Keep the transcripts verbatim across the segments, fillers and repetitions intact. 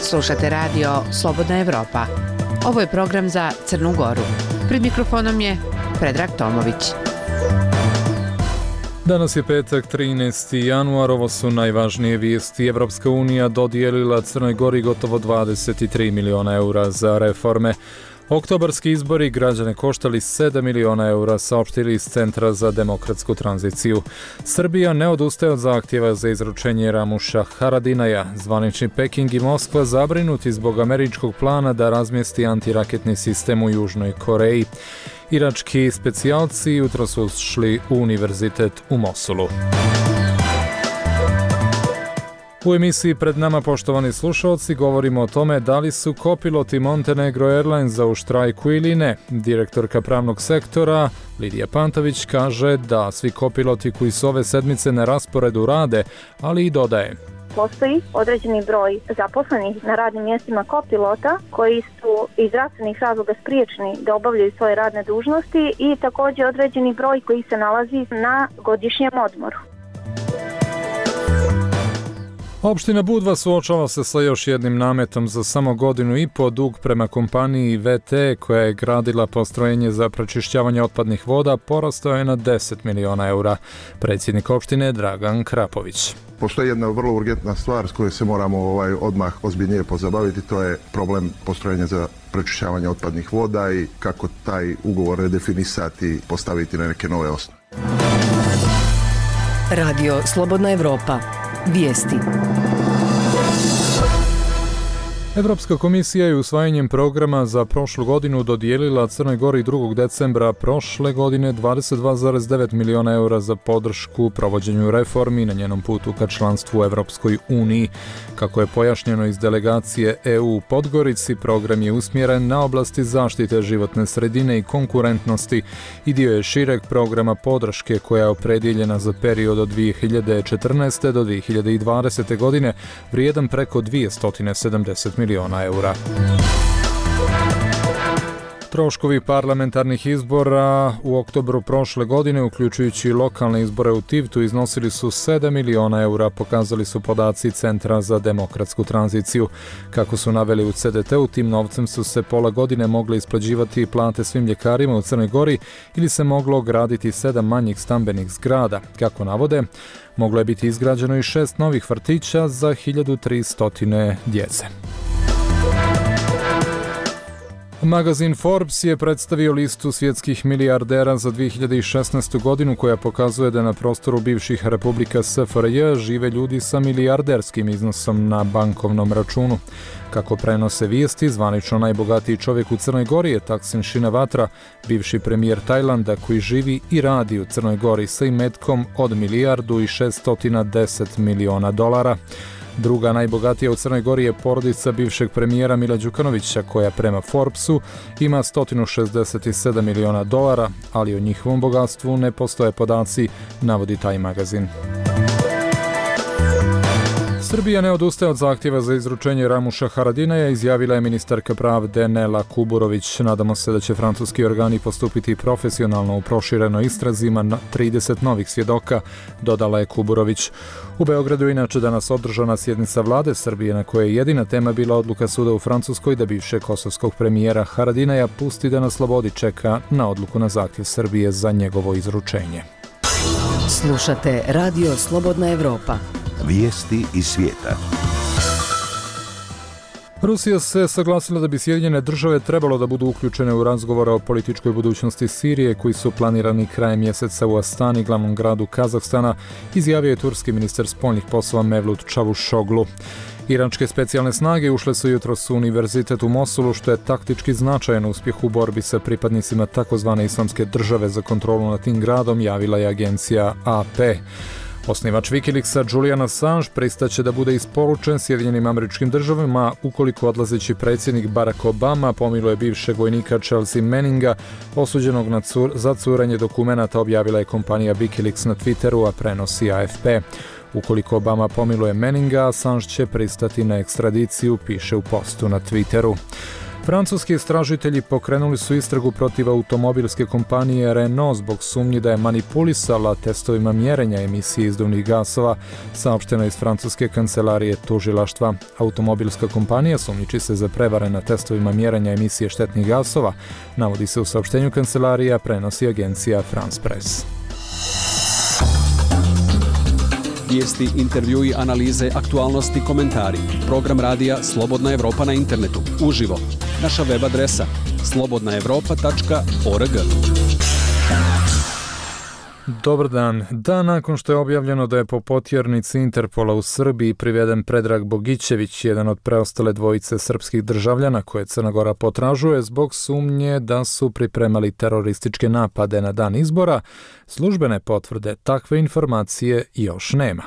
Slušate radio Slobodna Evropa. Ovo je program za Crnu Goru. Pred mikrofonom je Predrag Tomović. Danas je petak, trinaesti januar, ovo su najvažnije vijesti. Evropska unija dodijelila Crnoj Gori gotovo dvadeset tri miliona eura za reforme. Oktobarski izbori građane koštali sedam miliona eura, saopštili iz Centra za demokratsku tranziciju. Srbija ne odustaje od zahtjeva za izručenje Ramuša Haradinaja. Zvanični Peking i Moskva zabrinuti zbog američkog plana da razmjesti antiraketni sistem u Južnoj Koreji. Irački specijalci jutro su šli u univerzitet u Mosulu. U emisiji Pred nama, poštovani slušalci, govorimo o tome da li su kopiloti Montenegro Airlinesa u štrajku ili ne. Direktorka pravnog sektora Lidija Pantović kaže da svi kopiloti koji su ove sedmice na rasporedu rade, ali i dodaje: postoji određeni broj zaposlenih na radnim mjestima kopilota koji su iz zdravstvenih razloga spriječeni da obavljaju svoje radne dužnosti i također određeni broj koji se nalazi na godišnjem odmoru. Opština Budva suočava se sa još jednim nametom. Za samo godinu i po dug prema kompaniji V T koja je gradila postrojenje za pročišćavanje otpadnih voda porastao je na deset miliona eura. Predsjednik opštine Dragan Krapović. Postoji jedna vrlo urgentna stvar s kojoj se moramo ovaj odmah ozbiljnije pozabaviti, to je problem postrojenja za pročišćavanje otpadnih voda i kako taj ugovor redefinisati i postaviti na neke nove osnove. Radio Slobodna Evropa. Vijesti. Evropska komisija je usvajanjem programa za prošlu godinu dodijelila Crnoj Gori drugog decembra prošle godine dvadeset dva zarez devet miliona eura za podršku provođenju reformi na njenom putu ka članstvu u Evropskoj uniji. Kako je pojašnjeno iz delegacije E U u Podgorici, program je usmjeren na oblasti zaštite životne sredine i konkurentnosti i dio je šireg programa podrške koja je opredjeljena za period od dvije hiljade četrnaeste. do dvije hiljade dvadesete. godine, vrijedan preko dvjesto sedamdeset miliona eura. Troškovi parlamentarnih izbora u oktobru prošle godine, uključujući lokalne izbore u Tivtu, iznosili su sedam miliona eura, pokazali su podaci Centra za demokratsku tranziciju. Kako su naveli u C D T-u, tim novcem su se pola godine mogle isplaćivati plate svim ljekarima u Crnoj Gori ili se moglo graditi sedam manjih stambenih zgrada. Kako navode, moglo je biti izgrađeno i šest novih vrtića za hiljadu tristo djece. Magazin Forbes je predstavio listu svjetskih milijardera za dvije hiljade šesnaestu. godinu koja pokazuje da na prostoru bivših republika S F R J žive ljudi sa milijarderskim iznosom na bankovnom računu. Kako prenose vijesti, zvanično najbogatiji čovjek u Crnoj Gori je Thaksin Shinawatra, bivši premijer Tajlanda koji živi i radi u Crnoj Gori sa imetkom od milijardu i šesto deset miliona dolara. Druga najbogatija u Crnoj Gori je porodica bivšeg premijera Mila Đukanovića koja prema Forbesu ima sto šezdeset sedam miliona dolara, ali o njihovom bogatstvu ne postoje podaci, navodi taj magazin. Srbija ne odustaje od zahtjeva za izručenje Ramuša Haradinaja, izjavila je ministarka pravde Nela Kuburović. Nadamo se da će francuski organi postupiti profesionalno u proširenoj istrazi na trideset novih svjedoka, dodala je Kuburović. U Beogradu je inače danas održana sjednica vlade Srbije na kojoj je jedina tema bila odluka suda u Francuskoj da bivšeg kosovskog premijera Haradinaja pusti da na slobodi čeka na odluku na zahtjev Srbije za njegovo izručenje. Slušate Radio Slobodna Evropa. Vijesti iz svijeta. Rusija se saglasila da bi Sjedinjene države trebalo da budu uključene u razgovore o političkoj budućnosti Sirije koji su planirani krajem mjeseca u Astani, glavnom gradu Kazahstana, izjavio je turski ministar spoljnih poslova Mevlut Čavuşoglu. Iračke specijalne snage ušle su jutros u univerzitet u Mosulu, što je taktički značajan uspjeh u borbi sa pripadnicima takozvane islamske države za kontrolu nad tim gradom, javila je agencija A P. Osnivač Wikileaksa Julian Assange pristaće da bude isporučen Sjedinjenim Američkim Državama ukoliko odlazeći predsjednik Barack Obama pomiluje bivšeg vojnika Chelsea Manninga, osuđenog na cur, za curenje dokumenata, objavila je kompanija Wikileaks na Twitteru, a prenosi A F P. Ukoliko Obama pomiluje Manninga, Assange će pristati na ekstradiciju, piše u postu na Twitteru. Francuski istražitelji pokrenuli su istragu protiv automobilske kompanije Renault zbog sumnji da je manipulisala testovima mjerenja emisije izduvnih gasova, saopšteno iz francuske kancelarije tužilaštva. Automobilska kompanija sumnjiči se za prevare na testovima mjerenja emisije štetnih gasova, navodi se u saopštenju kancelarija, prenosi agencija France Press. Vijesti, intervjui, analize, aktualnosti, komentari. Program radija Slobodna Evropa na internetu. Uživo. Naša web adresa slobodna evropa tačka org. Dobar dan. Dan nakon što je objavljeno da je po potjernici Interpola u Srbiji priveden Predrag Bogićević, jedan od preostale dvojice srpskih državljana koje Crna Gora potražuje zbog sumnje da su pripremali terorističke napade na dan izbora, službene potvrde takve informacije još nema.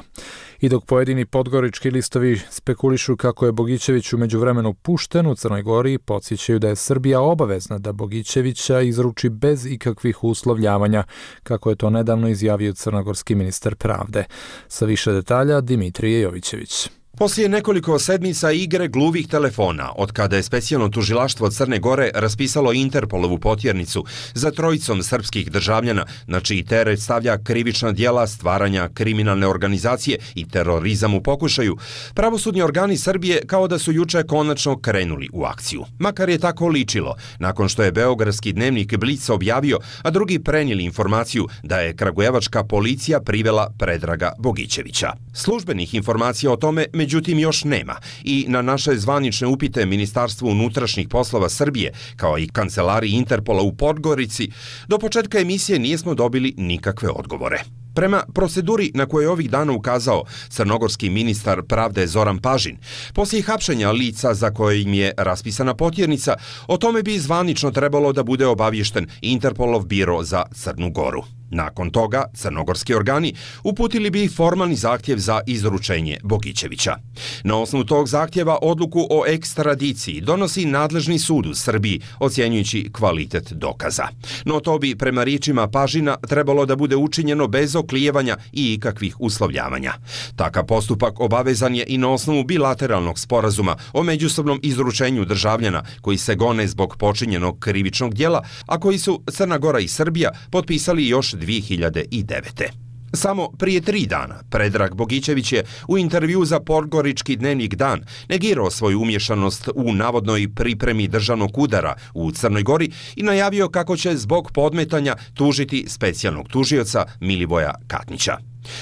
I dok pojedini podgorički listovi spekulišu kako je Bogićević u međuvremenu pušten u Crnoj Gori, podsjećaju da je Srbija obavezna da Bogićevića izruči bez ikakvih uslovljavanja, kako je to nedavno izjavio crnogorski ministar pravde. Sa više detalja Dimitrije Jovićević. Poslije nekoliko sedmica igre gluvih telefona, od kada je specijalno tužilaštvo Crne Gore raspisalo Interpolovu potjernicu za trojicom srpskih državljana, na čiji teret stavlja krivična djela stvaranja kriminalne organizacije i terorizam u pokušaju, pravosudni organi Srbije kao da su juče konačno krenuli u akciju. Makar je tako ličilo, nakon što je beogradski dnevnik Blic objavio, a drugi prenijeli informaciju da je kragujevačka policija privela Predraga Bogićevića. Službenih informacija o tome međutim još nema i na naše zvanične upite Ministarstvu unutrašnjih poslova Srbije, kao i kancelariji Interpola u Podgorici, do početka emisije nismo dobili nikakve odgovore. Prema proceduri na koju je ovih dana ukazao crnogorski ministar pravde Zoran Pažin, poslije hapšenja lica za koje im je raspisana potjernica, o tome bi zvanično trebalo da bude obaviješten Interpolov biro za Crnu Goru. Nakon toga, crnogorski organi uputili bi formalni zahtjev za izručenje Bogićevića. Na osnovu tog zahtjeva odluku o ekstradiciji donosi nadležni sud u Srbiji, ocjenjujući kvalitet dokaza. No to bi, prema riječima Pažina, trebalo da bude učinjeno bez oklijevanja i ikakvih uslovljavanja. Takav postupak obavezan je i na osnovu bilateralnog sporazuma o međusobnom izručenju državljana koji se gone zbog počinjenog krivičnog djela, a koji su Crna Gora i Srbija potpisali još dvije hiljade devete. Samo prije tri dana Predrag Bogićević je u intervju za podgorički dnevnik Dan negirao svoju umješanost u navodnoj pripremi državnog udara u Crnoj Gori i najavio kako će zbog podmetanja tužiti specijalnog tužioca Milivoja Katnića.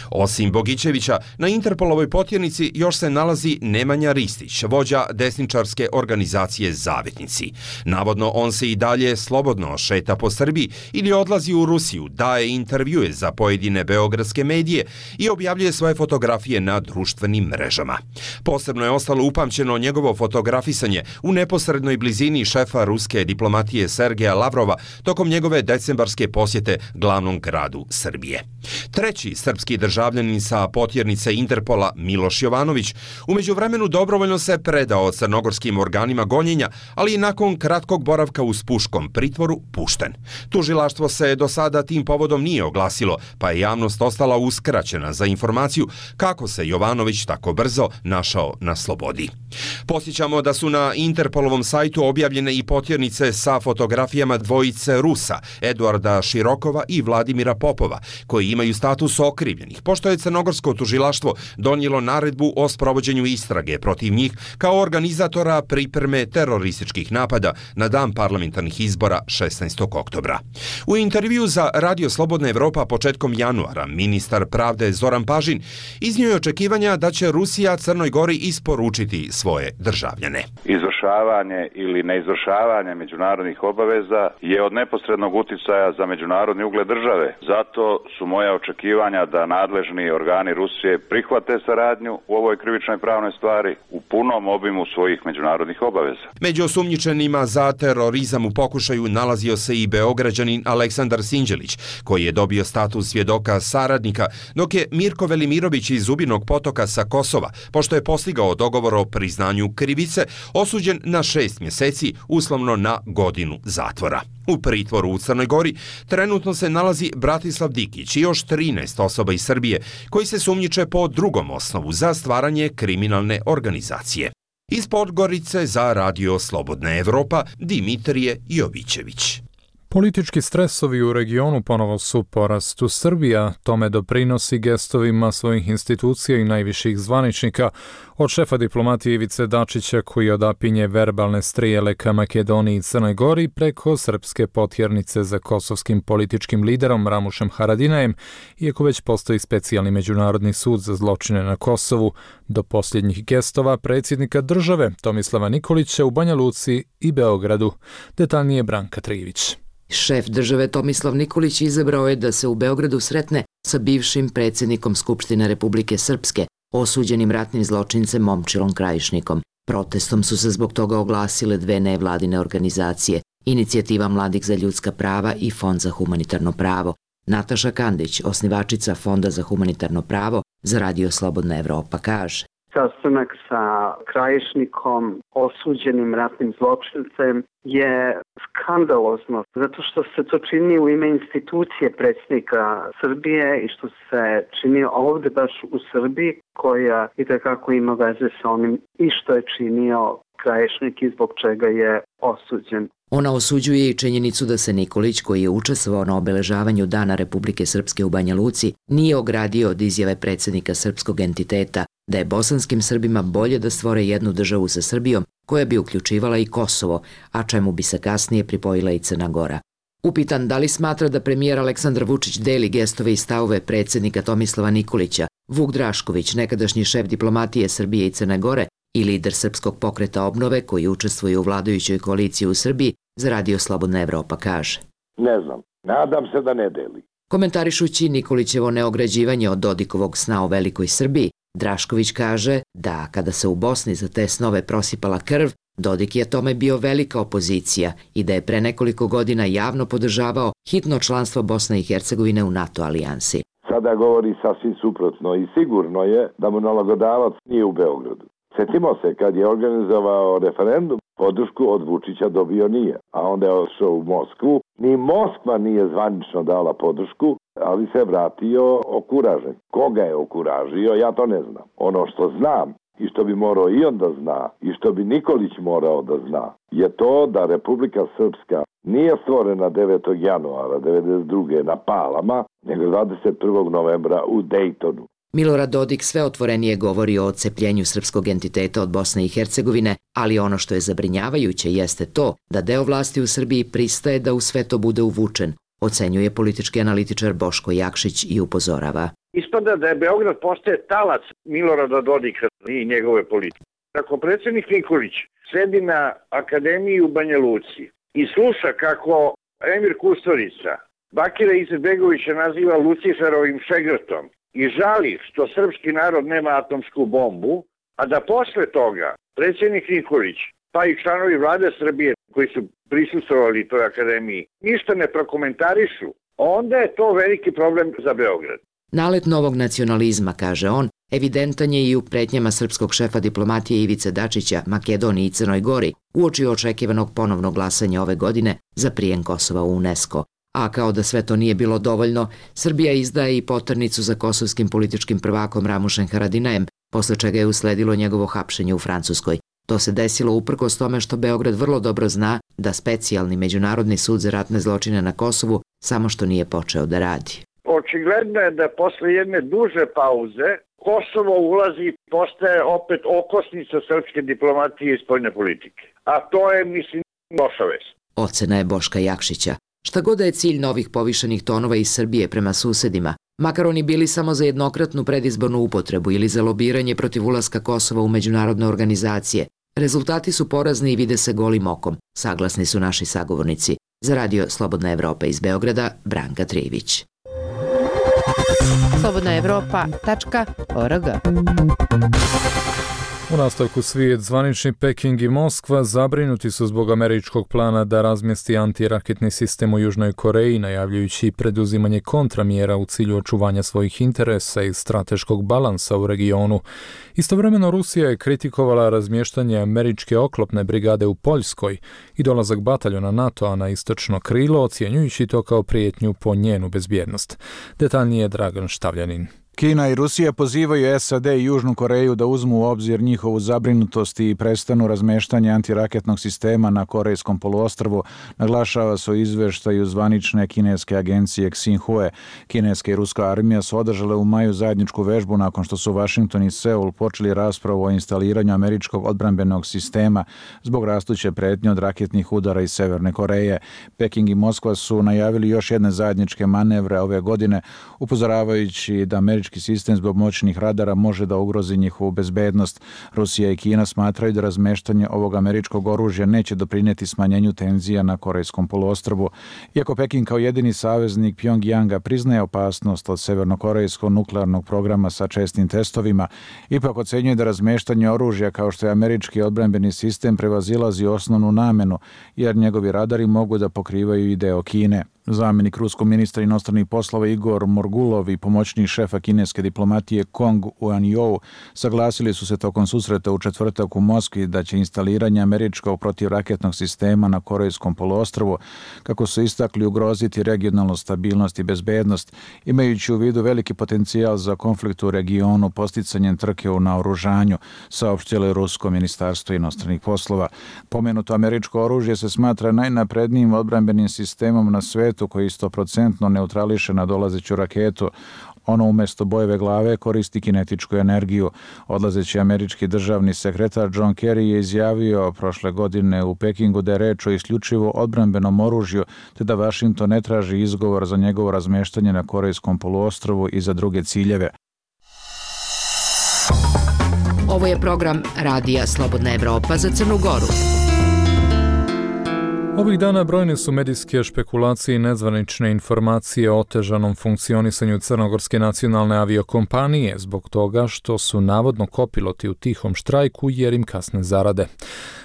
Osim Bogićevića, na Interpolovoj potjernici još se nalazi Nemanja Ristić, vođa desničarske organizacije Zavetnici. Navodno on se i dalje slobodno šeta po Srbiji ili odlazi u Rusiju, daje intervjue za pojedine beogradske medije i objavljuje svoje fotografije na društvenim mrežama. Posebno je ostalo upamćeno njegovo fotografisanje u neposrednoj blizini šefa ruske diplomatije Sergeja Lavrova tokom njegove decembarske posjete glavnom gradu Srbije. Treći srpski državljanin sa potjernice Interpola Miloš Jovanović u međuvremenu dobrovoljno se predao crnogorskim organima gonjenja, ali i nakon kratkog boravka u spuškom pritvoru pušten. Tužilaštvo se do sada tim povodom nije oglasilo, pa je javnost ostala uskraćena za informaciju kako se Jovanović tako brzo našao na slobodi. Posjećamo da su na Interpolovom sajtu objavljene i potjernice sa fotografijama dvojice Rusa, Eduarda Širokova i Vladimira Popova, koji imaju status okrivljenih, pošto je crnogorsko tužilaštvo donijelo naredbu o sprovođenju istrage protiv njih kao organizatora pripreme terorističkih napada na dan parlamentarnih izbora šesnaestog oktobra. U intervju za Radio Slobodna Evropa početkom januara ministar pravde Zoran Pažin iznio je očekivanja da će Rusija Crnoj Gori isporučiti svoje državljane. Izvršavanje ili neizvršavanje međunarodnih obaveza je od neposrednog uticaja za međunarodni ugled države. Zato su moja očekivanja da nadležni organi Rusije prihvate saradnju u ovoj krivičnoj pravnoj stvari u punom obimu svojih međunarodnih obaveza. Među osumnjičenima za terorizam u pokušaju nalazio se i Beograđanin Aleksandar Sinđelić, koji je dobio status svjedoka saradnika, dok je Mirko Velimirović iz Zubinog Potoka sa Kosova, pošto je postigao dogovor o priznanju krivice, osuđen na šest mjeseci, uslovno na godinu zatvora. U pritvoru u Crnoj Gori trenutno se nalazi Bratislav Dikić i još trinaest osoba iz Srbije koji se sumnjiče po drugom osnovu za stvaranje kriminalne organizacije. Iz Podgorice za Radio Slobodna Evropa Dimitrije Jovićević. Politički stresovi u regionu ponovo su porastu. Srbija tome doprinosi gestovima svojih institucija i najviših zvaničnika, od šefa diplomatije Ivice Dačića koji odapinje verbalne strijele ka Makedoniji i Crnoj Gori preko srpske potjernice za kosovskim političkim liderom Ramušem Haradinajem, iako već postoji specijalni međunarodni sud za zločine na Kosovu, do posljednjih gestova predsjednika države Tomislava Nikolića u Banja Luci i Beogradu. Detaljnije Branka Trivić. Šef države Tomislav Nikolić izabrao je da se u Beogradu sretne sa bivšim predsjednikom Skupštine Republike Srpske, osuđenim ratnim zločincem Momčilom Krajišnikom. Protestom su se zbog toga oglasile dve nevladine organizacije, Inicijativa mladih za ljudska prava i Fond za humanitarno pravo. Nataša Kandić, osnivačica Fonda za humanitarno pravo, za Radio Slobodna Evropa kaže: Sastanak sa Krajišnikom, osuđenim ratnim zločincem, je skandalozno, zato što se to čini u ime institucije predsjednika Srbije i što se čini ovdje baš u Srbiji, koja itekako ima veze sa onim i što je činio Krajišnik i zbog čega je osuđen. Ona osuđuje i činjenicu da se Nikolić, koji je učestvovao na obeležavanju Dana Republike Srpske u Banja Luci, nije ogradio od izjave predsjednika srpskog entiteta da je bosanskim Srbima bolje da stvore jednu državu sa Srbijom koja bi uključivala i Kosovo, a čemu bi se kasnije pripojila i Crna Gora. Upitan da li smatra da premijer Aleksandar Vučić deli gestove i stavove predsjednika Tomislava Nikolića, Vuk Drašković, nekadašnji šef diplomatije Srbije i Crne Gore i lider Srpskog pokreta obnove koji učestvuje u vladajućoj koaliciji u Srbiji, za Radio Slobodna Evropa kaže: Ne znam, nadam se da ne deli. Komentarišući Nikolićevo neograđivanje od Dodikovog sna o velikoj Srbiji, Drašković kaže da kada se u Bosni za te snove prosipala krv, Dodik je tome bio velika opozicija i da je pre nekoliko godina javno podržavao hitno članstvo Bosne i Hercegovine u NATO alijansi. Sada govori sasvim suprotno i sigurno je da mu nalagodavac nije u Beogradu. Sjetimo se kad je organizovao referendum, podršku od Vučića dobio nije, a onda je ošao u Moskvu. Ni Moskva nije zvanično dala podršku, ali se vratio okuražen. Koga je okuražio, ja to ne znam. Ono što znam i što bi morao i on da zna i što bi Nikolić morao da zna je to da Republika Srpska nije stvorena devetog januara devedeset druge na Palama, nego dvadeset prvog novembra u Dejtonu. Milorad Dodik sve otvorenije govori o odcepljenju srpskog entiteta od Bosne i Hercegovine, ali ono što je zabrinjavajuće jeste to da deo vlasti u Srbiji pristaje da u sve to bude uvučen, ocenjuje politički analitičar Boško Jakšić i upozorava. Ispada da je Beograd postaje talac Milorada Dodika i njegove politike. Ako predsjednik Nikolić sedi na akademiji u Banja Luci i sluša kako Emir Kusturica Bakira Izetbegovića naziva Luciferovim šegrtom i žali što srpski narod nema atomsku bombu, a da posle toga predsjednik Nikolić, pa i članovi vlade Srbije koji su prisustvovali toj akademiji, ništa ne prokomentarišu, onda je to veliki problem za Beograd. Nalet novog nacionalizma, kaže on, evidentan je i u pretnjama srpskog šefa diplomatije Ivice Dačića, Makedoniji i Crnoj Gori, uoči očekivanog ponovnog glasanja ove godine za prijem Kosova u UNESCO. A kao da sve to nije bilo dovoljno, Srbija izdaje i poternicu za kosovskim političkim prvakom Ramušem Haradinajem, posle čega je usledilo njegovo hapšenje u Francuskoj. To se desilo uprkos tome što Beograd vrlo dobro zna da specijalni međunarodni sud za ratne zločine na Kosovu samo što nije počeo da radi. Očigledno je da posle jedne duže pauze Kosovo ulazi i postaje opet okosnica srpske diplomatije i spoljne politike. A to je, mislim, loša vest. Ocena je Boška Jakšića. Šta god da je cilj novih povišenih tonova iz Srbije prema susedima, makar oni bili samo za jednokratnu predizbornu upotrebu ili za lobiranje protiv ulaska Kosova u međunarodne organizacije, rezultati su porazni i vide se golim okom, saglasni su naši sagovornici. Za Radio Slobodna Evropa iz Beograda, Branka Trivić. slobodna evropa tačka org. U nastavku svijet, zvanični Peking i Moskva zabrinuti su zbog američkog plana da razmjesti antiraketni sistem u Južnoj Koreji, najavljujući preduzimanje kontramjera u cilju očuvanja svojih interesa i strateškog balansa u regionu. Istovremeno Rusija je kritikovala razmještanje američke oklopne brigade u Poljskoj i dolazak bataljona NATO-a na istočno krilo, ocjenjujući to kao prijetnju po njenu bezbjednost. Detaljnije Dragan Štavljanin. Kina i Rusija pozivaju S A D i Južnu Koreju da uzmu u obzir njihovu zabrinutost i prestanu razmeštanje antiraketnog sistema na Korejskom poluostrvu, naglašava se u izveštaju zvanične kineske agencije Xinhua. Kineska i ruska armija su održale u maju zajedničku vežbu nakon što su Washington i Seul počeli raspravu o instaliranju američkog odbrambenog sistema zbog rastuće pretnje od raketnih udara iz Severne Koreje. Peking i Moskva su najavili još jedne zajedničke manevre ove godine, upozoravajući da američki sistem zbog moćnih radara može da ugrozi njihovu bezbednost. Rusija i Kina smatraju da razmeštanje ovog američkog oružja neće doprinijeti smanjenju tenzija na Korejskom poluostrvu. Iako Peking kao jedini saveznik Pjongjanga priznaje opasnost od severnokorejskog nuklearnog programa sa čestim testovima, ipak ocenjuje da razmeštanje oružja kao što je američki odbrambeni sistem prevazilazi osnovnu namenu, jer njegovi radari mogu da pokrivaju i deo Kine. Zamjenik ruskog ministra inostranih poslova Igor Morgulov i pomoćnik šefa kineske diplomatije Kong Uan-jou saglasili su se tokom susreta u četvrtak u Moskvi da će instaliranje američkog protivraketnog sistema na Korejskom poluostrvu, kako su istakli, ugroziti regionalnu stabilnost i bezbednost, imajući u vidu veliki potencijal za konflikt u regionu posticanjem trke u naoružanju, saopštilo je rusko ministarstvo inostranih poslova. Pomenuto američko oružje se smatra najnaprednijim odbrambenim sistemom na svetu koji sto procentno neutrališe nadolazeću raketu. Ono umjesto bojeve glave koristi kinetičku energiju. Odlazeći američki državni sekretar John Kerry je izjavio prošle godine u Pekingu da je reč o isključivo odbrambenom oružju, te da Washington ne traži izgovor za njegovo razmeštanje na Korejskom poluostrvu i za druge ciljeve. Ovo je program Radija Slobodna Evropa za Crnu Goru. Ovih dana brojne su medijske špekulacije i nezvanične informacije o otežanom funkcionisanju crnogorske nacionalne aviokompanije zbog toga što su navodno kopiloti u tihom štrajku jer im kasne zarade.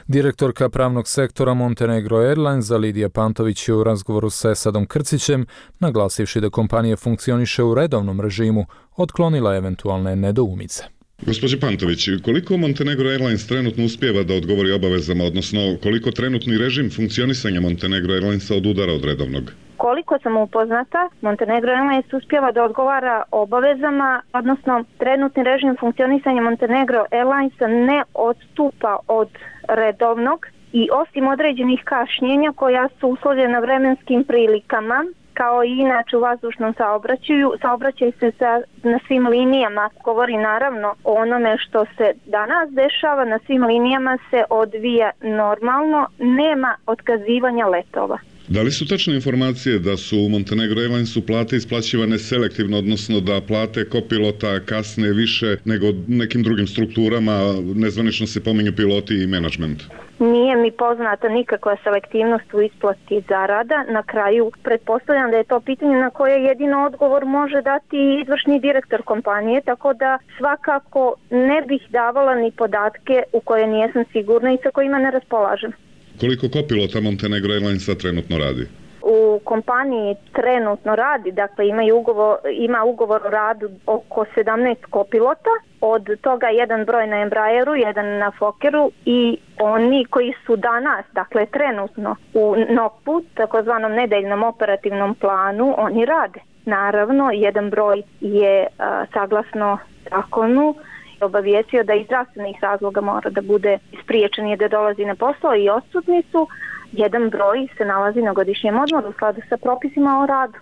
Direktorka pravnog sektora Montenegro Airlines Lidija Pantović je u razgovoru sa Esadom Krcićem, naglasivši da kompanija funkcioniše u redovnom režimu, otklonila eventualne nedoumice. Gospođe Pantović, koliko Montenegro Airlines trenutno uspijeva da odgovori obavezama, odnosno koliko trenutni režim funkcionisanja Montenegro Airlinesa odudara od redovnog? Koliko sam upoznata, Montenegro Airlines uspijeva da odgovara obavezama, odnosno trenutni režim funkcionisanja Montenegro Airlinesa ne odstupa od redovnog i osim određenih kašnjenja koja su uslovljena vremenskim prilikama, kao i inače u vazdušnom saobraćaju, saobraćaj se sa, na svim linijama. Govori naravno o onome što se danas dešava, na svim linijama se odvija normalno, nema otkazivanja letova. Da li su tačne informacije da su u Montenegro Airlinesu plate isplaćivane selektivno, odnosno da plate kopilota kasne više nego nekim drugim strukturama, nezvanično se pominju piloti i menadžment? Nije mi poznata nikakva selektivnost u isplati zarada. Na kraju pretpostavljam da je to pitanje na koje jedino odgovor može dati izvršni direktor kompanije, tako da svakako ne bih davala ni podatke u koje nijesam sigurna i sa kojima ne raspolažem. Koliko kopilota Montenegro Airlinesa trenutno radi? U kompaniji trenutno radi, dakle ima ugovor, ima ugovor o radu oko sedamnaest kopilota, od toga jedan broj na Embraeru, jedan na Fokkeru i oni koji su danas, dakle trenutno u NOP-u, takozvanom nedeljnom operativnom planu, oni rade. Naravno, jedan broj je a, saglasno zakonu obavijestio da iz zdravstvenih razloga mora da bude spriječen je da dolazi na posao i odsutni su. Jedan broj se nalazi na godišnjem odmoru u skladu sa propisima o radu.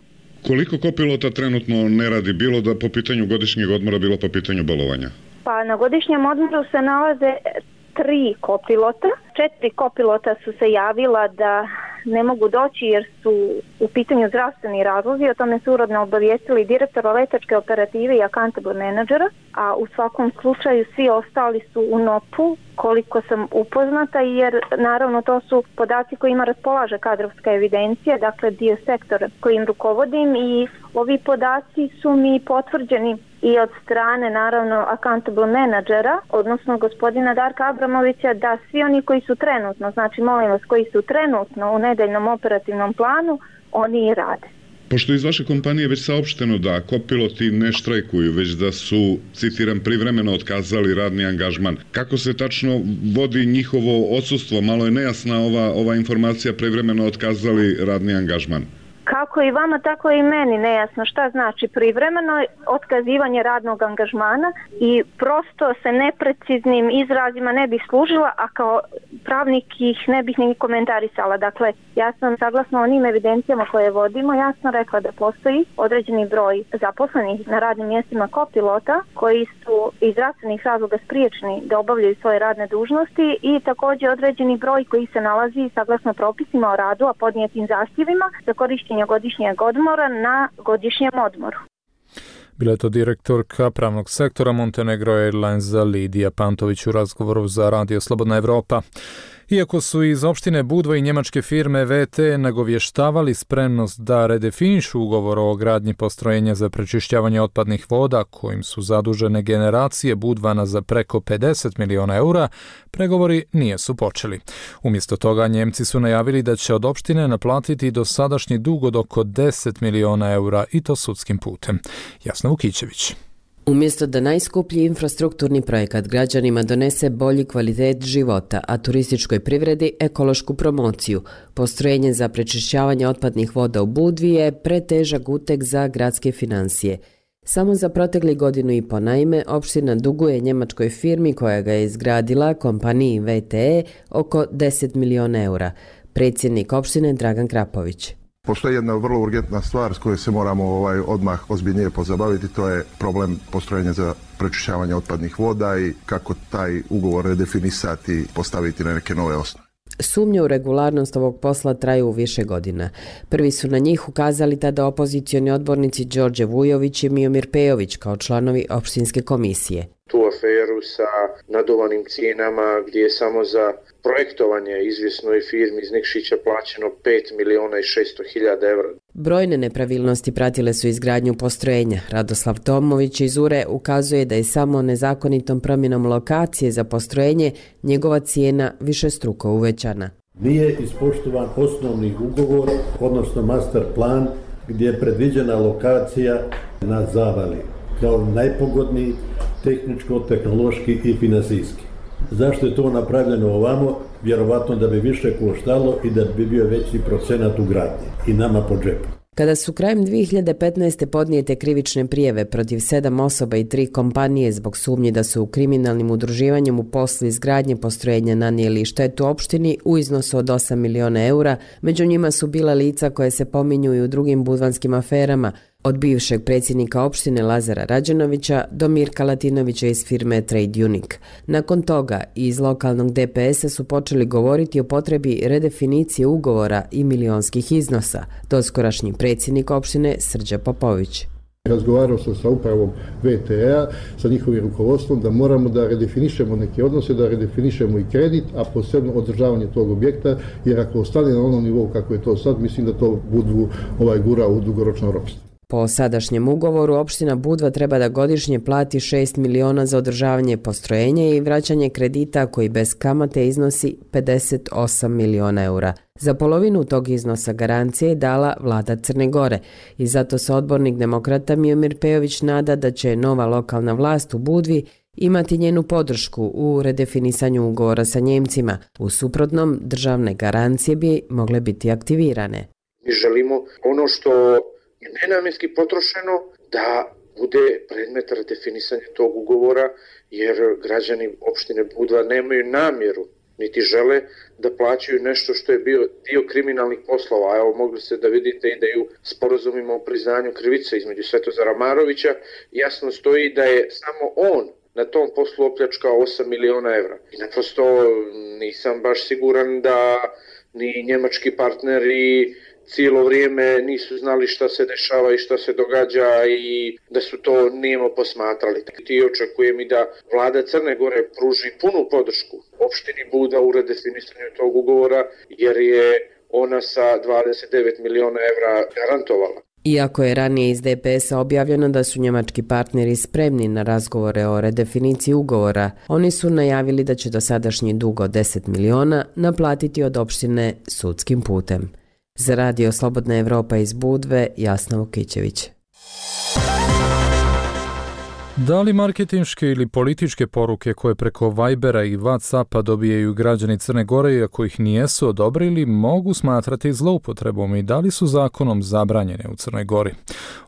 Koliko kopilota trenutno ne radi, bilo da po pitanju godišnjeg odmora, bilo po pitanju bolovanja? Pa na godišnjem odmoru se nalaze tri kopilota. Četiri kopilota su se javila da ne mogu doći jer su u pitanju zdravstveni razlozi. O tome su uredno obavijestili direktora letačke operative i accountable menadžera, a u svakom slučaju svi ostali su u NOP-u, koliko sam upoznata, jer naravno to su podaci kojima raspolaže kadrovska evidencija, dakle dio sektora kojim rukovodim, i ovi podaci su mi potvrđeni i od strane naravno accountable menadžera, odnosno gospodina Darka Abramovića, da svi oni koji su trenutno, znači molim vas, koji su trenutno u nedeljnom operativnom planu, oni i rade. Pošto iz vaše kompanije već saopšteno da kopiloti ne štrajkuju, već da su, citiram, privremeno otkazali radni angažman, kako se tačno vodi njihovo odsustvo? Malo je nejasna ova, ova informacija, privremeno otkazali radni angažman. kako i vama, tako i meni nejasno šta znači privremeno otkazivanje radnog angažmana i prosto se nepreciznim izrazima ne bih služila, a kao pravnik ih ne bih ni komentarisala. Dakle, ja sam saglasno onim evidencijama koje vodimo jasno rekla da postoji određeni broj zaposlenih na radnim mjestima kopilota koji su iz zdravstvenih razloga spriječeni da obavljaju svoje radne dužnosti i također određeni broj koji se nalazi saglasno propisima o radu, a podnijetim zahtjevima za korištenje godišnjeg odmora na godišnjem odmoru. Bila je to direktorka pravnog sektora Montenegro Airlinesa Lidija Pantović u razgovoru za Radio Slobodna Evropa. Iako su iz opštine Budva i njemačke firme V T nagovještavali spremnost da redefinišu ugovor o gradnji postrojenja za prečišćavanje otpadnih voda, kojim su zadužene generacije Budvana za preko pedeset miliona eura, pregovori nije su počeli. Umjesto toga Njemci su najavili da će od opštine naplatiti dosadašnji dug od oko deset miliona eura i to sudskim putem. Jasna Vukićević. Umjesto da najskuplji infrastrukturni projekat građanima donese bolji kvalitet života, a turističkoj privredi ekološku promociju, postrojenje za prečišćavanje otpadnih voda u Budvi je pretežak uteg za gradske financije. Samo za protekli godinu i po naime, opština duguje njemačkoj firmi koja ga je izgradila, kompaniji V T E, oko deset miliona eura. Predsjednik opštine Dragan Krapović. Postoji jedna vrlo urgentna stvar s kojoj se moramo ovaj, odmah ozbiljnije pozabaviti, to je problem postrojenja za prečišćavanje otpadnih voda i kako taj ugovor redefinisati, postaviti na neke nove osnove. Sumnje u regularnost ovog posla traju više godina. Prvi su na njih ukazali tada opozicioni odbornici Đorđe Vujović i Miomir Pejović kao članovi opštinske komisije. Tu aferu sa nadovanim cijenama gdje je samo za projektovanje izvjesnoj firmi iz Nikšića plaćeno pet miliona i šesto hiljada evra. Brojne nepravilnosti pratile su izgradnju postrojenja. Radoslav Tomović iz U R E ukazuje da je samo nezakonitom promjenom lokacije za postrojenje njegova cijena višestruko uvećana. Nije ispoštovan osnovni ugovor, odnosno master plan, gdje je predviđena lokacija na Zavali kao najpogodniji tehničko-tehnološki i finansijski. Zašto je to napravljeno ovamo? Vjerovatno da bi više koštalo i da bi bio veći procenat u gradnji i nama po džepu. Kada su krajem dvije hiljade petnaeste. podnijete krivične prijeve protiv sedam osoba i tri kompanije zbog sumnji da su u kriminalnim udruživanjem u poslu izgradnje postrojenja nanijeli štetu opštini u iznosu od osam miliona eura, među njima su bila lica koje se pominju i u drugim budvanskim aferama, od bivšeg predsjednika opštine Lazara Rađenovića do Mirka Latinovića iz firme Trade Unique. Nakon toga iz lokalnog D P S-a su počeli govoriti o potrebi redefinicije ugovora i milionskih iznosa, doskorašnji predsjednik opštine Srđa Popović. Razgovarao sam sa upravom V T E-a, sa njihovim rukovodstvom, da moramo da redefinišemo neke odnose, da redefinišemo i kredit, a posebno održavanje tog objekta, jer ako ostane na onom nivou kako je to sad, mislim da to Budvu ovaj gura u dugoročno ropstvo. Po sadašnjem ugovoru, opština Budva treba da godišnje plati šest miliona za održavanje postrojenja i vraćanje kredita koji bez kamate iznosi pedeset osam miliona eura. Za polovinu tog iznosa garancije je dala vlada Crne Gore i zato se odbornik demokrata Miomir Pejović nada da će nova lokalna vlast u Budvi imati njenu podršku u redefinisanju ugovora sa Njemcima. U suprotnom, državne garancije bi mogle biti aktivirane. Mi želimo ono što je nenamjenski potrošeno da bude predmet redefinisanja tog ugovora, jer građani opštine Budva nemaju namjeru niti žele da plaćaju nešto što je bio dio kriminalnih poslova. Evo, mogli ste da vidite i da je u sporazumima o priznanju krivice između Svetozara Marovića jasno stoji da je samo on na tom poslu opljačkao osam miliona evra. I naprosto nisam baš siguran da ni njemački partneri cijelo vrijeme nisu znali šta se dešava i šta se događa i da su to nijemo posmatrali. I očekujem i da vlada Crne Gore pruži punu podršku opštini Buda u redefinisanju tog ugovora, jer je ona sa dvadeset devet miliona evra garantovala. Iako je ranije iz D P S-a objavljeno da su njemački partneri spremni na razgovore o redefiniciji ugovora, oni su najavili da će dosadašnji dug od deset miliona naplatiti od opštine sudskim putem. Za Radio Slobodna Evropa iz Budve, Jasna Vukićević. Da li marketinške ili političke poruke koje preko Vibera i WhatsAppa dobijaju građani Crne Gore, iako ih nijesu odobrili, mogu smatrati zloupotrebom i da li su zakonom zabranjene u Crnoj Gori?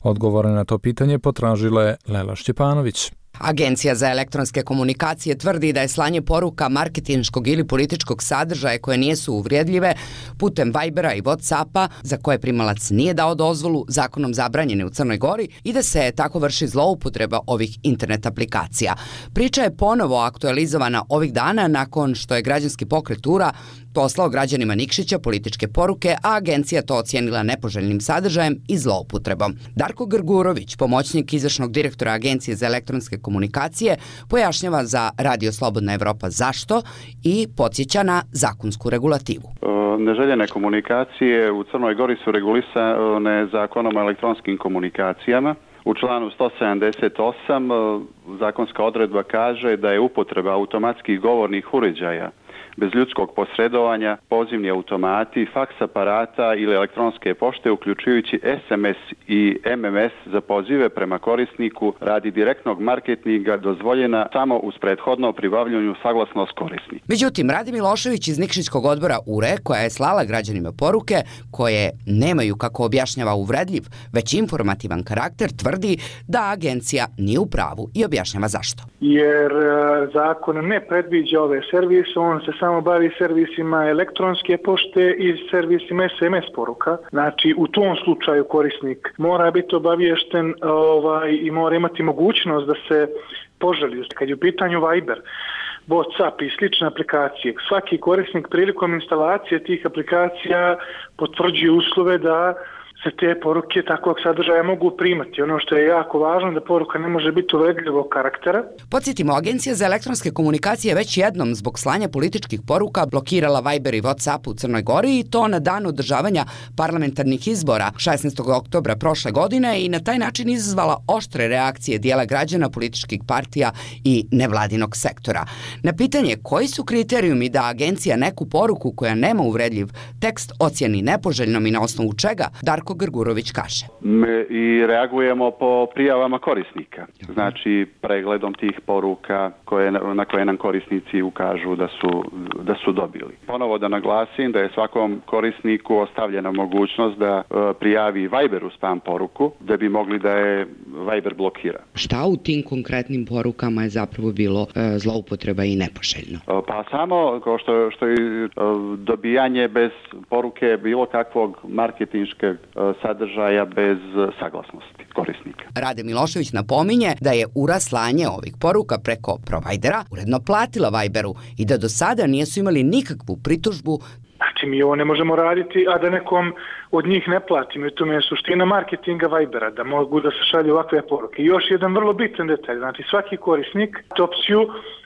Odgovore na to pitanje potražila je Lela Šćepanović. Agencija za elektronske komunikacije tvrdi da je slanje poruka marketinškog ili političkog sadržaja koje nijesu uvrijedljive putem Vibera i WhatsAppa, za koje primalac nije dao dozvolu, zakonom zabranjene u Crnoj Gori i da se tako vrši zloupotreba ovih internet aplikacija. Priča je ponovo aktualizovana ovih dana nakon što je građanski pokret U R A poslao građanima Nikšića političke poruke, a agencija to ocijenila nepoželjnim sadržajem i zloupotrebom. Darko Grgurović, pomoćnik izvršnog direktora Agencije za elektronske komunikacije, pojašnjava za Radio Slobodna Evropa zašto i podsjeća na zakonsku regulativu. Neželjene komunikacije u Crnoj Gori su regulisane zakonom o elektronskim komunikacijama. U članu sto sedamdeset osam zakonska odredba kaže da je upotreba automatskih govornih uređaja bez ljudskog posredovanja, pozivni automati, faks aparata ili elektronske pošte, uključujući es em es i em em es za pozive prema korisniku radi direktnog marketinga dozvoljena samo uz prethodno pribavljanju saglasnost korisnika. Međutim, Rade Milošević iz Nikšićkog odbora U R E, koja je slala građanima poruke koje nemaju, kako objašnjava, uvredljiv, već informativan karakter, tvrdi da agencija nije u pravu i objašnjava zašto. Jer zakon ne predviđa ove servise, on se samo bavi servisima elektronske pošte i servisima es em es poruka. Znači, u tom slučaju korisnik mora biti obaviješten ovaj, i mora imati mogućnost da se poželi. Kad je u pitanju Viber, WhatsApp i slične aplikacije, svaki korisnik prilikom instalacije tih aplikacija potvrđuje uslove da se te poruke takvog sadržaja mogu primati. Ono što je jako važno da poruka ne može biti uvredljivog karaktera. Podsjetimo, Agencija za elektronske komunikacije već jednom zbog slanja političkih poruka blokirala Viber i WhatsApp u Crnoj Gori i to na dan održavanja parlamentarnih izbora šesnaestog oktobra prošle godine i na taj način izazvala oštre reakcije dijela građana, političkih partija i nevladinog sektora. Na pitanje koji su kriterijumi da agencija neku poruku koja nema uvredljiv tekst ocjeni nepoželjnom i na osnovu čega, Darko Grgurović kaže. I reagujemo po prijavama korisnika. Znači, pregledom tih poruka koje, na koje nam korisnici ukažu da su, da su dobili. Ponovo da naglasim da je svakom korisniku ostavljena mogućnost da prijavi Viberu spam poruku, da bi mogli da je Viber blokira. Šta u tim konkretnim porukama je zapravo bilo e, zloupotreba i nepoželjno? Pa samo kao što, što je dobijanje bez poruke bilo kakvog marketinškog sadržaja bez saglasnosti korisnika. Rade Milošević napominje da je U R A slanje ovih poruka preko provajdera uredno platila Viberu i da do sada nisu imali nikakvu pritužbu. Znači, mi ovo ne možemo raditi, a da nekom od njih ne platimo. I to je suština marketinga Vibera, da mogu da se šalju ovakve poruke. I još jedan vrlo bitan detalj, znači svaki korisnik opciju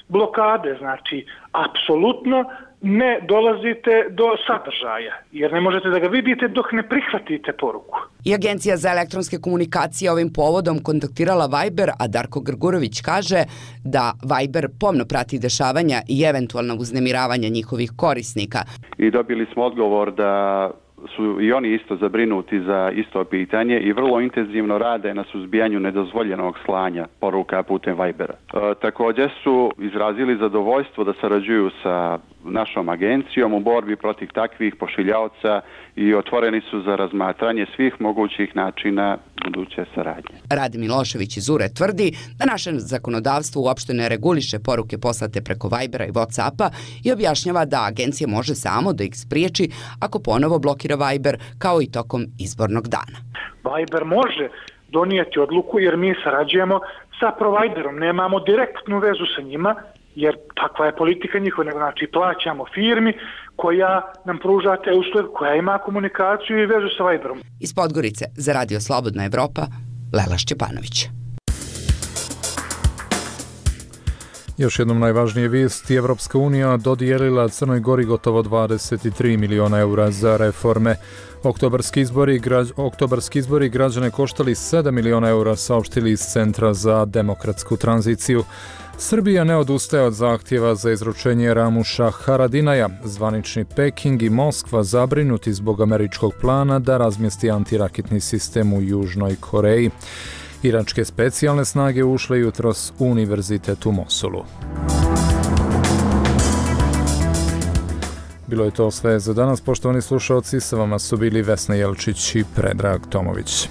blokade, znači apsolutno ne dolazite do sadržaja, jer ne možete da ga vidite dok ne prihvatite poruku. I Agencija za elektronske komunikacije ovim povodom kontaktirala Viber, a Darko Grgurović kaže da Viber pomno prati dešavanja i eventualno uznemiravanja njihovih korisnika. I dobili smo odgovor da su i oni isto zabrinuti za isto pitanje i vrlo intenzivno rade na suzbijanju nedozvoljenog slanja poruka putem Vibera. E, također su izrazili zadovoljstvo da sarađuju sa našom agencijom u borbi protiv takvih pošiljaoca i otvoreni su za razmatranje svih mogućih načina buduće saradnje. Rade Milošević iz U R E tvrdi da naše zakonodavstvo uopšte ne reguliše poruke poslate preko Vibera i WhatsAppa i objašnjava da agencija može samo da ih spriječi ako ponovo blokira Viber, kao i tokom izbornog dana. Viber može donijeti odluku jer mi sarađujemo sa providerom, nemamo direktnu vezu sa njima, jer takva je politika njihova, znači plaćamo firmi koja nam pruža te usluge, koja ima komunikaciju i vezu sa Viberom. Iz Podgorice za Radio Slobodna Evropa, Lela Šćepanović. Još jednom najvažnije vijesti, Evropska unija dodijelila Crnoj Gori gotovo dvadeset tri miliona eura za reforme. Oktobarski izbori, građ, oktobarski izbori građane koštali sedam miliona eura, saopštili iz Centra za demokratsku tranziciju. Srbija ne odustaje od zahtjeva za izručenje Ramuša Haradinaja. Zvanični Peking i Moskva zabrinuti zbog američkog plana da razmjesti antiraketni sistem u Južnoj Koreji. Iračke specijalne snage ušle jutros u univerzitet u Mosulu. Bilo je to sve za danas, poštovani slušalci, sa vama su bili Vesna Jelčić i Predrag Tomović.